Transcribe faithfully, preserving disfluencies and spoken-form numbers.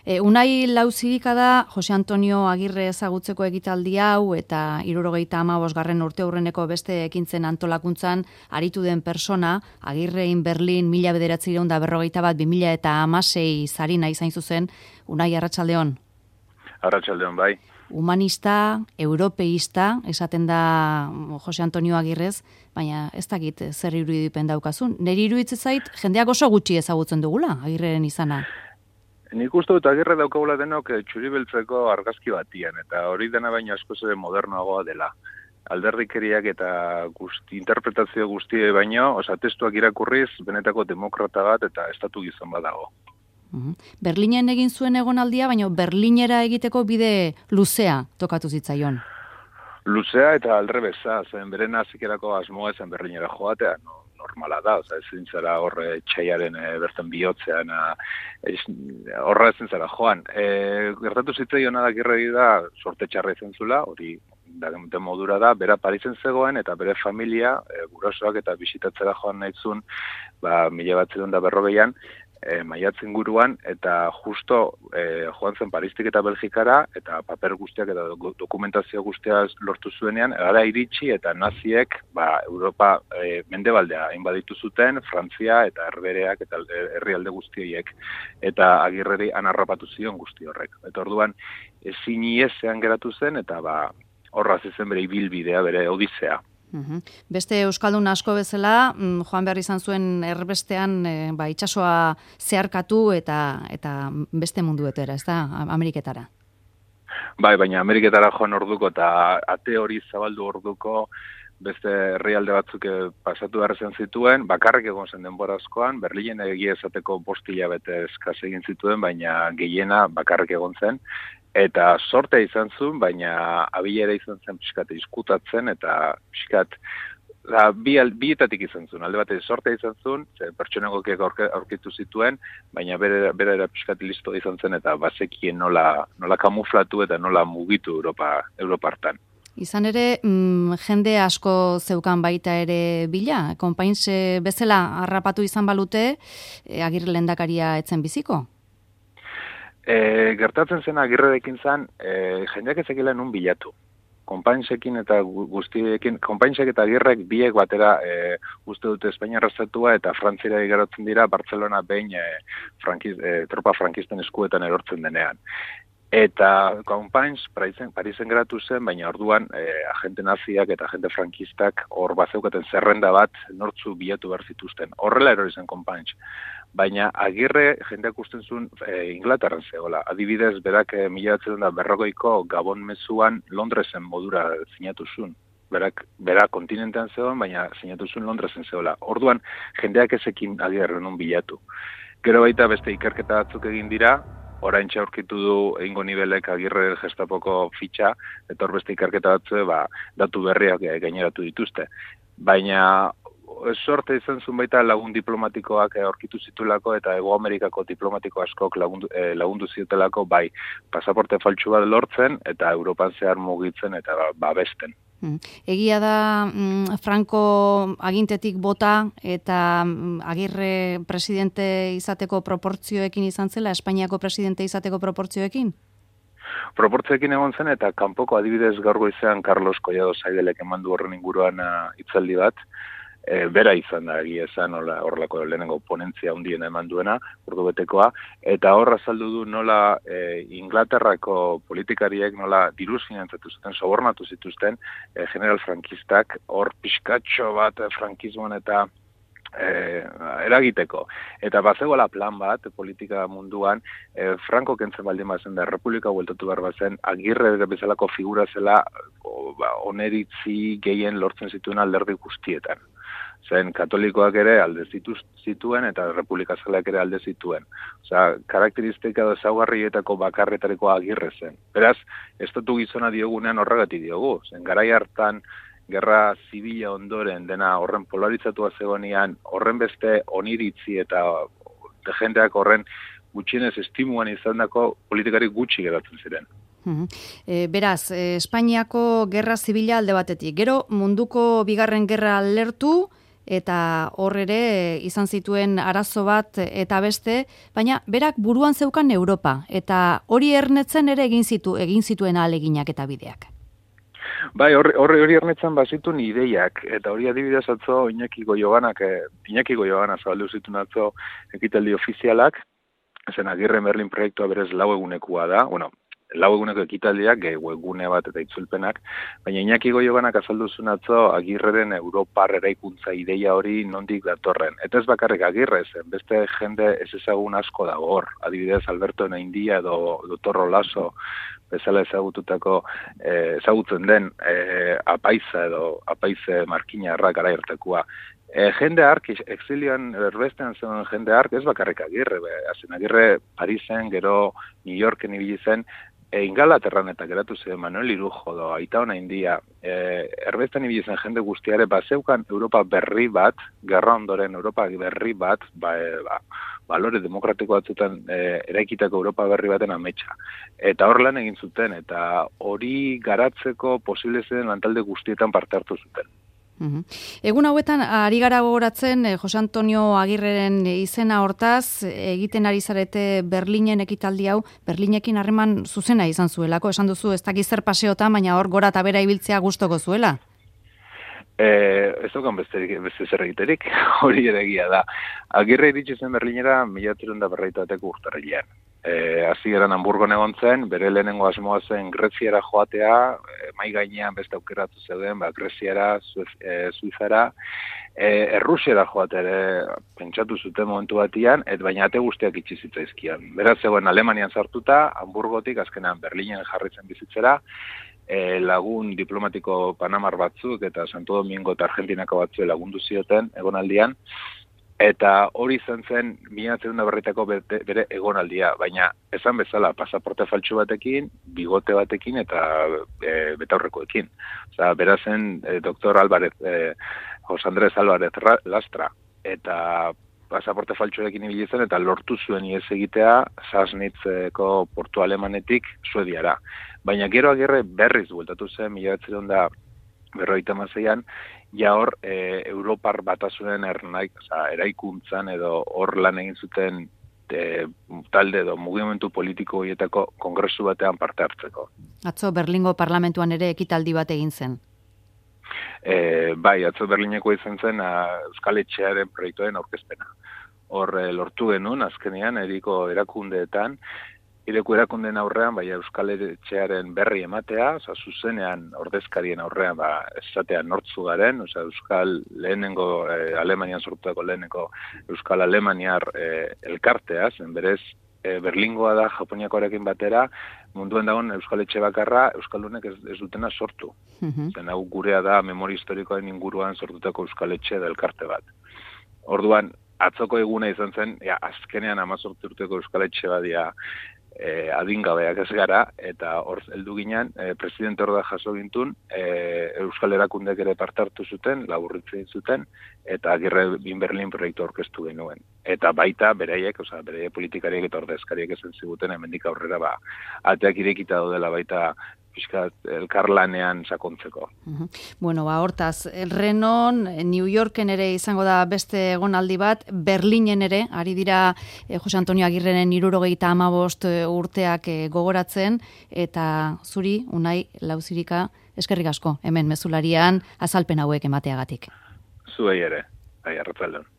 E, Unai Lauzirika da Jose Antonio Agirre ezagutzeko ekitaldi hau eta hirurogeita hamabosgarren urte aurreneko beste ekintzen antolakuntzan aritu den persona, Agirrein Berlin mila bederatziehun eta berrogeita bat bi mila eta hamasei sarina izan zuzen. Unai, arratsaldeon. Arratsaldeon, bai. Humanista, europeista, esaten da Jose Antonio Agirrez, baina ez dakit zer irudipen daukazun. Neri iruditzen zait, jendeak oso gutxi ezagutzen dugula, Agirreren izana. Nik uste dut Agirre daukagula denok txuri-beltzeko argazki batian, eta hori dena baina askoz ere modernoagoa dela. Alderdikeriak eta guzti, interpretazio guztie baino, oza, testuak irakurriz, benetako demokrata bat eta estatu gizon badago. Uh-huh. Berlinen egin zuen egonaldia, baina Berlinera egiteko bide luzea tokatu zitzaion. Luzea eta aldrebeza, zen beren hazikerako asmoa zen Berlinera joatea, no? Normala da, oza, ezin zara horre txaiaren e, bertan bihotzean, horra ezin zara joan. E, gertatu zitzaion Agirreri da, sorte txarra izan zula, hori da modura da, bera Parisen zegoen eta bere familia, e, gurasoak eta bisitatzera joan nahitzun, ba, mila batzedun da berrogeian, E, maiatzen guruan, eta justo e, joan zen Paristik eta Belgikara, eta paper guztiak eta dokumentazio guztiak lortu zuenean, gara iritsi eta naziek ba, Europa e, mendebaldea inbaditu zuten, Frantzia eta Herbereak eta herrialde guztioiek, eta Agirreri anarrapatu zion guzti horrek. Eta orduan, ezin iesean geratu zen, eta ba, horraz izen bere ibilbidea, bere odisea. Uhum. Beste euskaldun asko bezala, joan behar izan zuen erbestean e, ba, itsasoa zeharkatu eta eta beste munduetera, ez da, Ameriketara. Bai, baina Ameriketara joan orduko eta ate hori zabaldu orduko beste herrialde batzuk pasatu behar zen zituen, bakarrik egon zen denbora askoan, Berlinen egia esateko bost hilabete eskaz egin zituen, baina gehiena bakarrik egon zen. Eta sortea izan zuen, baina abilera izan zen pixkat izkutatzen, eta pixkat bi, bietatik izan zuen. Alde batez sortea izan zuen, pertsonagokiak aurkitu zituen, baina bere, bere era pixkat listo izan zen, eta bazekien nola, nola kamuflatu eta nola mugitu Europa, Europartan. Izan ere, mm, jende asko zeukan baita ere bila, konpainz bezala harrapatu izan balute, e, Agirre lehendakaria etzen biziko? E, gertatzen zen Agirrerekin zen, e, jendeak ezekila nun bilatu. Konpainsekin eta guztiekin, konpainsek eta Agirrek biek batera e, uste dute Espainia arrazatua eta Frantzira igarotzen dira Barcelona behin e, frankiz, e, tropa frankisten eskuetan erortzen denean. Eta Konpains Parisen, Parisen geratu zen, baina orduan e, agente naziak eta agente frankistak hor bazeukaten zerrenda bat nortzu bilatu behar zituzten. Horrela erori zen Konpains. Baina Agirre jendeak usten zuen e, Inglaterran zegoela. Adibidez, berak e, mila batzedun da berrogeiko Gabon mezuan Londresen modura sinatu zuen. Berak, bera kontinentean zegoen, baina sinatu zuen Londresen zegoela. Orduan, jendeak ezekin Agirre nun bilatu. Gero baita beste ikerketa batzuk egin dira, oraintxe aurkitu du egingo nibelek Agirre Gestapoko fitxa, eta hor beste ikerketa batzu, ba, datu berriak gaineratu dituzte. Baina sorte izan zuen baita lagun diplomatikoak aurkitu zitulako eta Hego Amerikako diplomatiko askok lagundu, eh, lagundu ziotelako bai pasaporte faltsu bat lortzen eta Europan zehar mugitzen eta babesten. Egia da mm, Franco agintetik bota eta mm, Agirre presidente izateko proportzioekin izan zela, Espainiako presidente izateko proportzioekin? Proportzioekin egon zen eta kanpoko adibidez gaur goizean Carlos Collado Saidelek emandu horren inguruan hitzaldi bat. E, bera izan da egia esan horrelako lehenengo ponentzia handiena eman duena, ordubetekoa, eta horra azaldu du nola e, Inglaterrako politikariek nola diruz finantzatu zuten, sobornatu zituzten e, general frankistak, hor pixkatxo bat frankismoan eta E, eragiteko. Eta bazegoela plan bat, politika munduan, e, Franco kentzen baldin bazen da, Republika hueltatu behar bazen, Agirre bezalako figura zela o, ba, oneritzi gehien lortzen zituen alderdi guztietan. Zen katolikoak ere alde zituen eta Republika Zaleak ere alde zituen. Osea, karakteristika edo ezaugarrietako bakarretareko Agirre zen. Beraz, estatu gizona diogunean horregatik diogu. Zen garai hartan gerra zibila ondoren dena horren polaritzatua zegoenean, horren beste oniritzi eta jendeak horren gutxienez estimuan izandako politikari gutxi geratzen ziren. Uh-huh. E, beraz, e, Espainiako gerra zibila alde batetik. Gero munduko bigarren gerra lertu eta hor ere izan zituen arazo bat eta beste, baina berak buruan zeukan Europa, eta hori ernetzen ere egin zitu, egin zituen ahaleginak eta bideak. Bai, horri hori ernetzen bazitun ideiak, eta hori adibidez atzo Iñaki Goiobanak, eh, Iñaki Goiobana zabaldu zituen atzo ekitaldi ofizialak, zen Agirre Berlin proiektua berez lau egunekua da, bueno, lau eguneko ekitaldiak, webgune bat eta itzulpenak, baina Iñaki Goiobanak azaldu zuen atzo Agirreren Europar eraikuntza ideia hori nondik datorren. Eta ez bakarrik Agirre zen, beste jende ez ezagun asko dago hor, adibidez Alberto Naindia edo Dotorro Lasso, bezala ezagututako, eh, ezagutzen den eh, apaiza edo apaize markinarra gara irtekua. E, jende hark, exilioan erbestean zen jende hark, ez bakarrik Agirre, be, azen Agirre Parisen, gero New Yorken ibili zen, e, Ingalaterran eta geratu zen Manuel Irujo do, Aita Onaindia, e, erbestean ibili zen jende guztiare, ba, zeukan Europa berri bat, gerra ondoren Europa berri bat, ba, e, ba, balore demokratiko batzutan e, eraikitako Europa berri baten ametsa. Eta hor lan egin zuten, eta hori garatzeko posible zen lantalde guztietan parte hartu zuten. Uhum. Egun hauetan, ari gara gogoratzen, eh, Jose Antonio Agirreren izena hortaz, egiten ari zarete Berlinen ekitaldi hau, Berlinekin harreman zuzena izan zuelako, esan duzu, ez dakiz zer paseotan, baina hor gora eta bera ibiltzea gustoko zuela. Eh, ez dukan beste, beste zer egiterik, hori ere egia da. Agirre iritsi zen Berlinera mila bederatziehun eta berrogeita bateko urtarrilean. Eh, hasieran Hamburgon egon zen, bere lehenengo asmoa zen Greziara joatea, eh, mai gainean beste aukeratu zeuden, ba, Greziara, eh, Suizara, eh, Errusiara joatea ere pentsatu zuten momentu batian, et baina ate guztiak itxi zitzaizkian. Beraz zegoen Alemanian sartuta, Hamburgotik azkenan Berlinen jarritzen bizitzera, E, lagun diplomatiko panamar batzuk eta Santo Domingo eta Argentinako batzuk lagundu zioten egonaldian, eta hori izan zen mila bederatziehun eta berrogeitako bere egonaldia, baina esan bezala pasaporte faltsu batekin, bigote batekin eta e, betaurrekoekin. Osea, berazen e, doktor Álvarez, e, José Andrés Álvarez Lastra, eta pasaporte faltsuekin ibili zen eta lortu zuen ihes egitea Sassnitzeko portu alemanetik Suediara. Baina gero Agirre berriz bueltatu zen mila bederatziehun eta berrogeita hamaseian, ja hor e, Europar batasunen ernaik, oza, eraikuntzan edo hor lan egin zuten e, talde edo mugimendu politiko horietako kongresu batean parte hartzeko. Atzo Berlingo parlamentuan ere ekitaldi bat egin zen. E, bai, atzo Berlineko izan zen a, Euskal Etxearen proiektuen aurkezpena. Hor e, lortu genuen, azkenean, eriko erakundeetan, ireko erakundeen aurrean, bai, Euskal Etxearen berri ematea, oza, zuzenean ordezkarien aurrean, ba, esatean nortzu garen, oza, Euskal lehenengo, e, Alemanian sortutako lehenengo Euskal Alemaniar e, elkartea, zen berez, e, Berlingoa da Japoniakoarekin batera, munduen dagoen Euskal Etxe bakarra, Euskaldunek ez, ez dutena sortu. Uh-huh. Zen hau gurea da memoria historikoen inguruan sortutako Euskal Etxe da elkarte bat. Orduan, atzoko eguna izan zen, ja, azkenean amazortzi urteko Euskal Etxe badia e, adingabeak ez gara, eta hor heldu ginen, e, presidente hor da jaso gintun, e, Euskal Erakundek ere parte hartu zuten, laburritzen zuten, eta Agirre in Berlin proiektu aurkeztu genuen. Eta baita, beraiek, oza, beraiek politikariek eta ordezkariek esan ziguten, hemendik aurrera, ba, ateak irekita daudela baita pixkat elkarlanean sakontzeko. Uh-huh. Bueno, ba, hortaz, Renon, New Yorken ere izango da beste egonaldi bat, Berlinen ere, ari dira eh, Jose Antonio Agirreren hirurogeita hamabost urteak eh, gogoratzen, eta zuri, Unai Lauzirika, eskerrik asko, hemen mezularian azalpen hauek emateagatik. Zuei ere, bai, arratzaldeon.